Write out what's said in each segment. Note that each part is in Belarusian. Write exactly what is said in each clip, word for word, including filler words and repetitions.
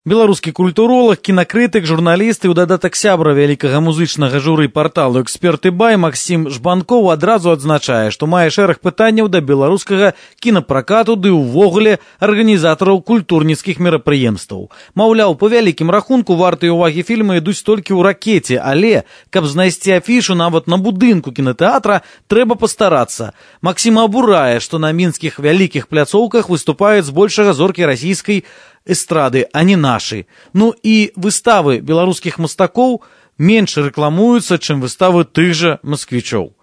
Беларускі культуролог, кінакрытык, журналіст і ў дадатак сябра вялікага музычнага журы парталу «Эксперты Бай» Максім Жбанкоў адразу адзначае, што мае шэраг пытанняў да беларускага кінапракату ды ўвогуле арганізатараў культурніцкіх мерапрыемстваў. Маўляў, па вялікім рахунку вартыя ўвагі фільмы ідуць толькі ў ракеце, але, каб знайсці афішу нават на будынку кінатэатра, трэба пастарацца. Максім абурае, што на мінскіх вялікіх пляцоўках выступаюць збольшага зоркі расійскай эстрады, а не нашы. Ну і выставы беларускіх мастакоў менш рэкламуюцца, чым выставы тых жа масквічоў.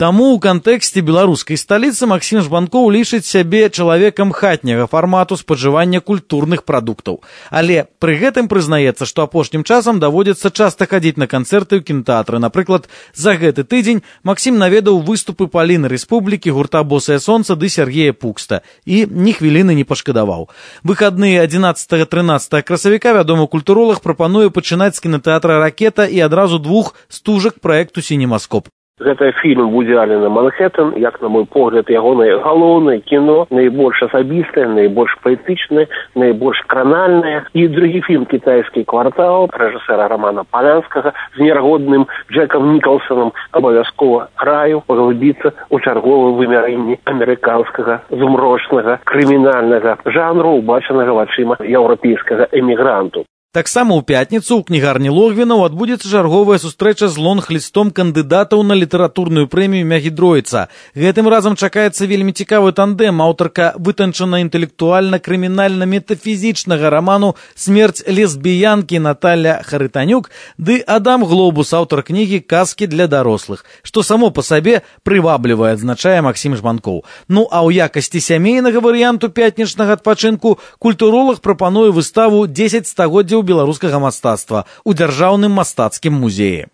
Таму ў кантэксце беларускай сталіцы Максім Жбанкоў лічыць сябе чалавекам хатняга фармату спажывання культурных прадуктаў. Але пры гэтым прызнаецца, што апошнім часам даводзіцца часта хадзіць на канцэрты ў кінатэатры. Напрыклад, за гэты тыдзень Максім наведаў выступы Паліны Рэспублікі, гурта «Босае сонца» ды Сергея Пукста і ні хвіліны не пашкадаваў. Выхадныя адзінаццатага-трынаццатага красавіка вядомы культуролог прапануе пачынаць з кінатэатра «Ракета» і адразу двух стужак праекту «Сінемаскоп». Гэта фільм Вуді Аллена «Манхэттэн», як, на мой погляд, ягонае галоўнае кіно, найбольш асабістае, найбольш паэтычнае, найбольш кранальнае. І другі фільм «Кітайскі квартал» рэжысэра Рамана Палянскага з нерагодным Джеком Нікалсонам абавязкова раю паглыбіцца ў чарговым вымярэнні амерыканскага змрочнага крымінальнага жанру, убачанага вачыма еўрапейскага эмігранту. Таксама ў пятніцу ў кнігарні Логвінаў адбудзецца чарговая сустрэча з лонг-лістом кандыдатаў на літаратурную прэмію Мягідройца. Гэтым разам чакаецца вельмі цікавы тандем. Аўтарка вытанчана-інтэлектуальна-крымінальна-метафізічнага раману «Смерць лесбіянкі» Наталя Харытанюк ды Адам Глобус, аўтар кнігі «Казкі для дарослых», што само па сабе прываблівае, адзначае Максім Жбанкоў. Ну а ў якасці сямейнага варыянту пятнічнага адпачынку культуролог прапануе выставу «дзесяць стагоддзяў беларускага мастацтва» у дзяржаўным мастацкім музеі.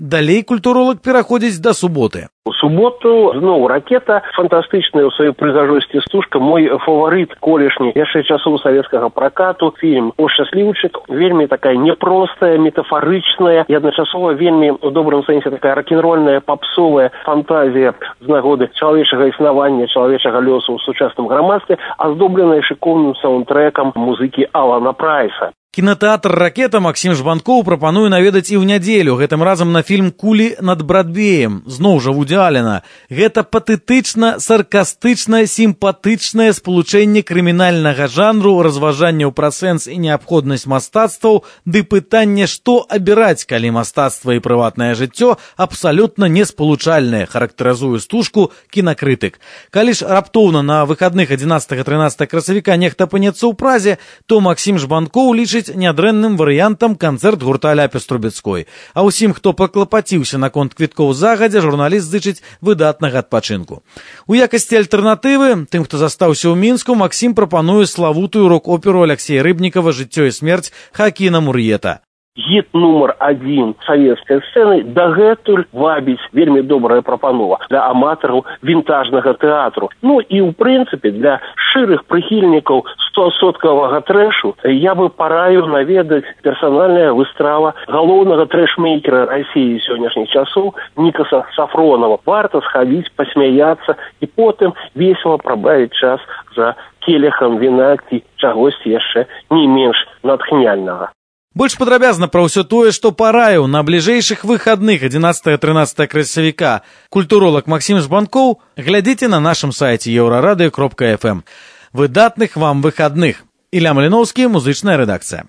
Далей культуролог пераходзіць да суботы. У суботу зноў «Ракета», фантастычная ў сваёй прыгажосці стужка, мой фаварыт колішні яшчэ часоў савецкага пракату, фільм «О шчасліўчык», вельмі такая непростая, метафарычная і адначасова вельмі у добрым сэнсе такая рок-н-рольная папсовая фантазія з нагоды чалавечага існавання, чалавечага лёсу ў сучасным грамадстве, аздобленая шыкоўным саундтрэкам музыкі Алана Прайса. Кінатэатр «Ракета» Максім Жбанкоў прапануе наведаць і ў нядзелю, гэтым разам на фільм «Кулі над Брадвеем», зноў жа Вуді Аллена. Гэта патэтычна, саркастычна, сімпатычнае спалучэнне крымінальнага жанру, разважанняў пра сэнс і неабходнасць мастацтваў, ды пытанне, што абіраць, калі мастацтва і прыватнае жыццё абсалютна неспалучальнае, характарызуе стужку кінакрытык. Калі ж раптоўна на выхадных адзінаццатага-трынаццатага красавіка нехта апынецца ў Празе, то Максім Жбанкоў лічыць нядрэнным варыянтам канцэрт гурта Ляпіс Трубецкой. А ўсім, хто паклапаціўся наконт квіткоў загадзя, журналіст зычыць выдатнага адпачынку. У якасці альтэрнатывы, тым, хто застаўся ў Мінску, Максім прапануе славутую рок-оперу Аляксея Рыбнікава «Жыццё і смерць» Хакіна Мур'ета. Гіт нумар адзін савецкай сцэны дагэтуль вабіць вельмі добрая прапанова для аматараў вінтажнага тэатру. Ну і ў прынцыпе для шчырых прыхільнікаў стосоткавага трэшу я бы параіў наведаць персанальная выстава галоўнага трэшмейкера Расіі сённяшніх часоў Нікаса Сафронова. Варта схадзіць, пасмяяцца і потым весела прабавіць час за келехам віна ці чагосьці яшчэ не менш натхняльнага. Больш падрабязна пра ўсё тое, што параіў на бліжэйшых выхадных адзінаццатага-трынаццатага красавіка культуролог Максім Жбанкоў, глядзіце на нашым сайце еўрарадыё кропка эф эм. Выдатных вам выхадных. Ілля Маліноўскі, музычная рэдакцыя.